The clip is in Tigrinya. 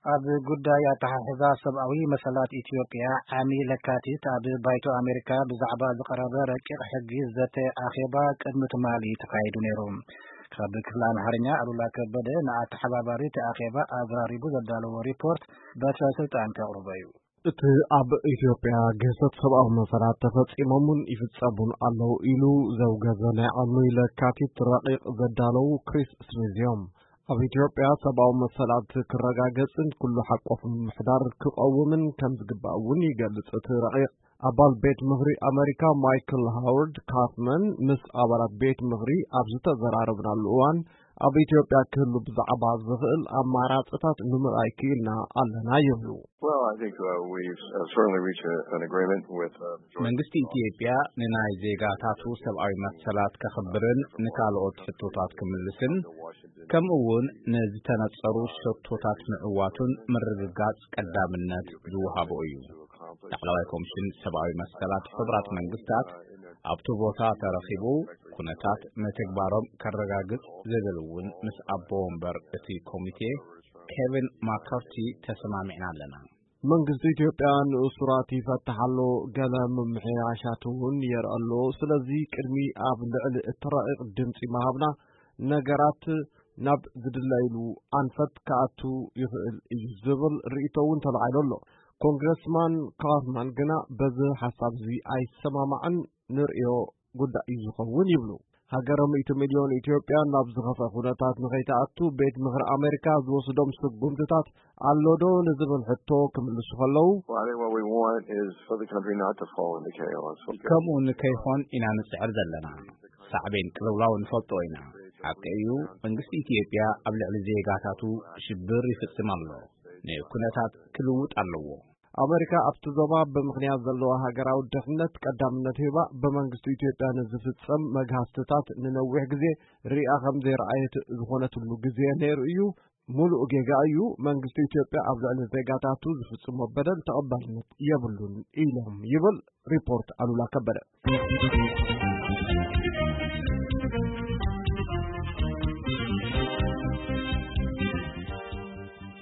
ኣብ ጉዳይ ኣተሓሕዛ ሰብኣዊ መሰላት ኢትዮጵያ ዓሚ ለካቲት ኣብ ባይቶ ኣሜሪካ ብዛዕባ ዝቐረበ ረቂቕ ሕጊ ዘተ ኣኼባ ቅድሚ ትማሊ ተኻይዱ ነይሩ። ካብ ክፍሊ ኣምሓርኛ ኣሉላ ከበደ ንኣተሓባባሪ እቲ ኣኼባ ኣዘራሪቡ ዘዳለዎ ሪፖርት በትረ ስልጣን ከቕርቦ እዩ። እቲ ኣብ ኢትዮጵያ ግህሰት ሰብኣዊ መሰላት ተፈጺሞምን ይፍጸሙን ኣለዉ ኢሉ ዘውገዘ ናይ ዓሚ ለካቲት ረቂቕ ዘዳለዉ ክሪስ ስሚዝ እዮም። ኣብ ኢትዮጵያ ሰብኣዊ መሰላት ክረጋገጽን ኩሉ ሓቆፍ ምምሕዳር ክቐውምን ከም ዝግባእ እውን ይገልጽ እቲ ረቂቕ። ኣባል ቤት ምኽሪ ኣመሪካ ማይክል ሃዋርድ ካፍመን ምስ ኣባላት ቤት ምኽሪ ኣብ ዝተዘራረብናሉ እዋን ኣብ ኢትዮጵያ ክህሉ ብዛዕባ ዝኽእል ኣማራፅታት ንምርኣይ ክኢልና ኣለና ይብሉ። Well, I think uh, we've uh, certainly reached a, an agreement with uh, the Georgia መንግስቲ ኢትዮጵያ ንናይ ዜጋታቱ ሰብኣዊ መሰላት ከኽብርን ንካልኦት ሕቶታት ክምልስን ከምኡ እውን ንዝተነጸሩ ሸቶታት ምዕዋቱን ምርግጋጽ ቀዳምነት ዝወሃቦ እዩ። ላዕለዋይ ኮሚሽን ሰብኣዊ መሰላት ሕቡራት መንግስታት ኣብቲ ቦታ ተረኺቡ ኩነታት ምትግባሮም ከረጋግጽ ዝብል እውን ምስ ኣቦ ወንበር እቲ ኮሚቴ ኬቪን ማካርቲ ተሰማሚዕና ኣለና። መንግስቲ ኢትዮጵያ ንእሱራት ይፈትሕ ኣሎ፣ ገለ ምምሕያሻት እውን የርኢ ኣሎ። ስለዚ ቅድሚ ኣብ ልዕሊ እቲ ረቂቕ ድምፂ ምሃብና ነገራት ናብ ዝድለይሉ ኣንፈት ክኣቱ ይኽእል እዩ ዝብል ርእይቶ እውን ተላዒሉ ኣሎ። ኮንግረስማን ካርማን ግና በዚ ሓሳብ እዚ ኣይሰማማዕን፣ ንርእዮ ጉዳይ እዩ ዝኸውን ይብሉ። ሃገረ ሚእቲ ሚልዮን ኢትዮጵያ ናብ ዝኸፍአ ኩነታት ንኸይትኣቱ ቤት ምኽሪ ኣሜሪካ ዝወስዶም ስጉምትታት ኣሎ ዶ ንዝብል ሕቶ ክምልሱ ከለዉ፣ Well, I think what we want is for the country not to fall into chaos. ከምኡ ንከይኾን ኢና ንጽዕር ዘለና። ሳዕቤን ቅልውላው ንፈልጦ ኢና። ሓቂ እዩ፣ መንግስቲ ኢትዮጵያ ኣብ ልዕሊ ዜጋታቱ ሽብር ይፍጽም ኣሎ። ንኩነታት ክልውጥ ኣለዎ። ኣመሪካ ኣብቲ ዞባ ብምኽንያት ዘለዋ ሃገራዊ ድሕነት ቀዳምነት ሂባ ብመንግስቲ ኢትዮጵያ ንዝፍጸም መግሃስትታት ንነዊሕ ግዜ ርኢያ ከም ዘይረኣየት ዝኾነትሉ ግዜ ነይሩ እዩ። ሙሉእ ጌጋ እዩ። መንግስቲ ኢትዮጵያ ኣብ ልዕሊ ዜጋታቱ ዝፍጽሞ በደል ተቐባልነት የብሉን ኢሎም ይብል ሪፖርት ኣሉላ ከበደ።